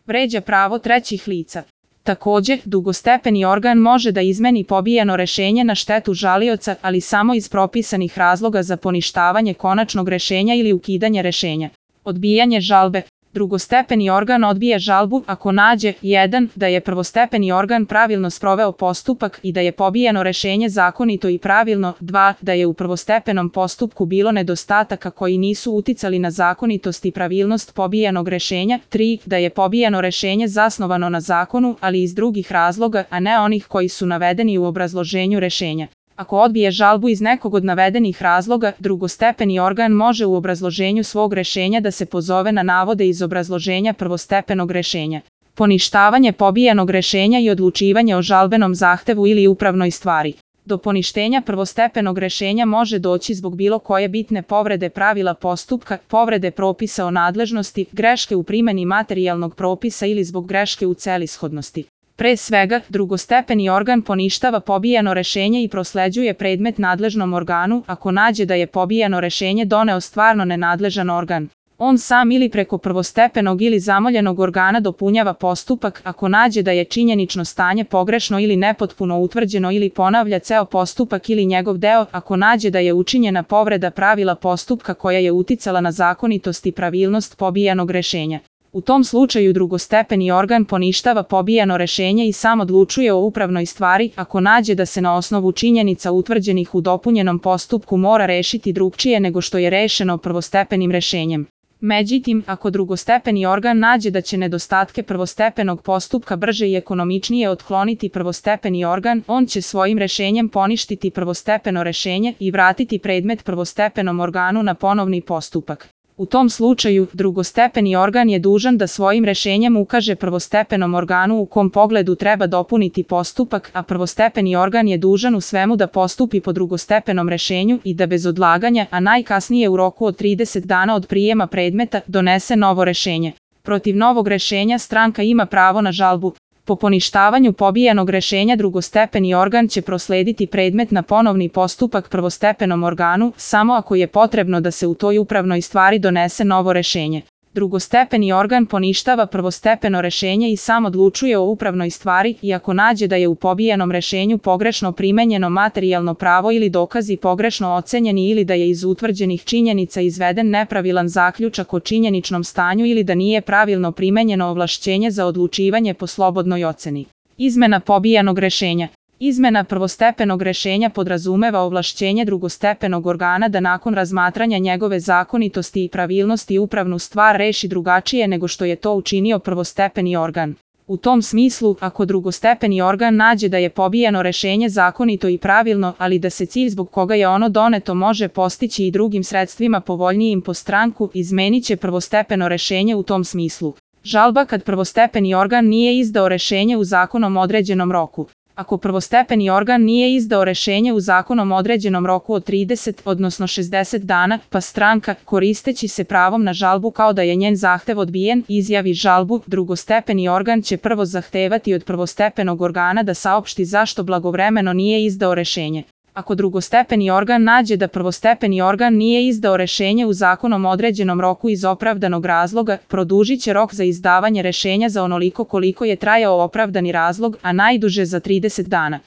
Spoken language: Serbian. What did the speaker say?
vređa pravo trećih lica. Takođe, drugostepeni organ može da izmeni pobijeno rešenje na štetu žalioca, ali samo iz propisanih razloga za poništavanje konačnog rešenja ili ukidanje rešenja. Odbijanje žalbe. Drugostepeni organ odbija žalbu ako nađe 1. da je prvostepeni organ pravilno sproveo postupak i da je pobijeno rešenje zakonito i pravilno, 2. da je u prvostepenom postupku bilo nedostataka koji nisu uticali na zakonitost i pravilnost pobijenog rešenja, 3. da je pobijeno rešenje zasnovano na zakonu, ali iz drugih razloga, a ne onih koji su navedeni u obrazloženju rešenja. Ako odbije žalbu iz nekog od navedenih razloga, drugostepeni organ može u obrazloženju svog rešenja da se pozove na navode iz obrazloženja prvostepenog rešenja. Poništavanje pobijenog rešenja i odlučivanje o žalbenom zahtevu ili upravnoj stvari. Do poništenja prvostepenog rešenja može doći zbog bilo koje bitne povrede pravila postupka, povrede propisa o nadležnosti, greške u primeni materijalnog propisa ili zbog greške u celishodnosti. Pre svega, drugostepeni organ poništava pobijeno rešenje i prosleđuje predmet nadležnom organu ako nađe da je pobijeno rešenje doneo stvarno nenadležan organ. On sam ili preko prvostepenog ili zamoljenog organa dopunjava postupak ako nađe da je činjenično stanje pogrešno ili nepotpuno utvrđeno ili ponavlja ceo postupak ili njegov deo ako nađe da je učinjena povreda pravila postupka koja je uticala na zakonitost i pravilnost pobijenog rešenja. U tom slučaju drugostepeni organ poništava pobijeno rešenje i sam odlučuje o upravnoj stvari ako nađe da se na osnovu činjenica utvrđenih u dopunjenom postupku mora rešiti drugčije nego što je rešeno prvostepenim rešenjem. Međutim, ako drugostepeni organ nađe da će nedostatke prvostepenog postupka brže i ekonomičnije otkloniti prvostepeni organ, on će svojim rešenjem poništiti prvostepeno rešenje i vratiti predmet prvostepenom organu na ponovni postupak. U tom slučaju, drugostepeni organ je dužan da svojim rešenjem ukaže prvostepenom organu u kom pogledu treba dopuniti postupak, a prvostepeni organ je dužan u svemu da postupi po drugostepenom rešenju i da bez odlaganja, a najkasnije u roku od 30 dana od prijema predmeta, donese novo rešenje. Protiv novog rešenja stranka ima pravo na žalbu. Po poništavanju pobijenog rešenja drugostepeni organ će proslediti predmet na ponovni postupak prvostepenom organu, samo ako je potrebno da se u toj upravnoj stvari donese novo rešenje. Drugostepeni organ poništava prvostepeno rešenje i sam odlučuje o upravnoj stvari i ako nađe da je u pobijenom rešenju pogrešno primenjeno materijalno pravo ili dokazi pogrešno ocenjeni ili da je iz utvrđenih činjenica izveden nepravilan zaključak o činjeničnom stanju ili da nije pravilno primenjeno ovlašćenje za odlučivanje po slobodnoj oceni. Izmena pobijenog rešenja. Izmena prvostepenog rešenja podrazumeva ovlašćenje drugostepenog organa da nakon razmatranja njegove zakonitosti i pravilnosti upravnu stvar reši drugačije nego što je to učinio prvostepeni organ. U tom smislu, ako drugostepeni organ nađe da je pobijeno rešenje zakonito i pravilno, ali da se cilj zbog koga je ono doneto može postići i drugim sredstvima povoljnijim po stranku, izmenit će prvostepeno rešenje u tom smislu. Žalba kad prvostepeni organ nije izdao rešenje u zakonom određenom roku. Ako prvostepeni organ nije izdao rešenje u zakonom određenom roku od 30, odnosno 60 dana, pa stranka, koristeći se pravom na žalbu kao da je njen zahtev odbijen, izjavi žalbu, drugostepeni organ će prvo zahtevati od prvostepenog organa da saopšti zašto blagovremeno nije izdao rešenje. Ako drugostepeni organ nađe da prvostepeni organ nije izdao rešenje u zakonom određenom roku iz opravdanog razloga, produžit će rok za izdavanje rešenja za onoliko koliko je trajao opravdani razlog, a najduže za 30 dana.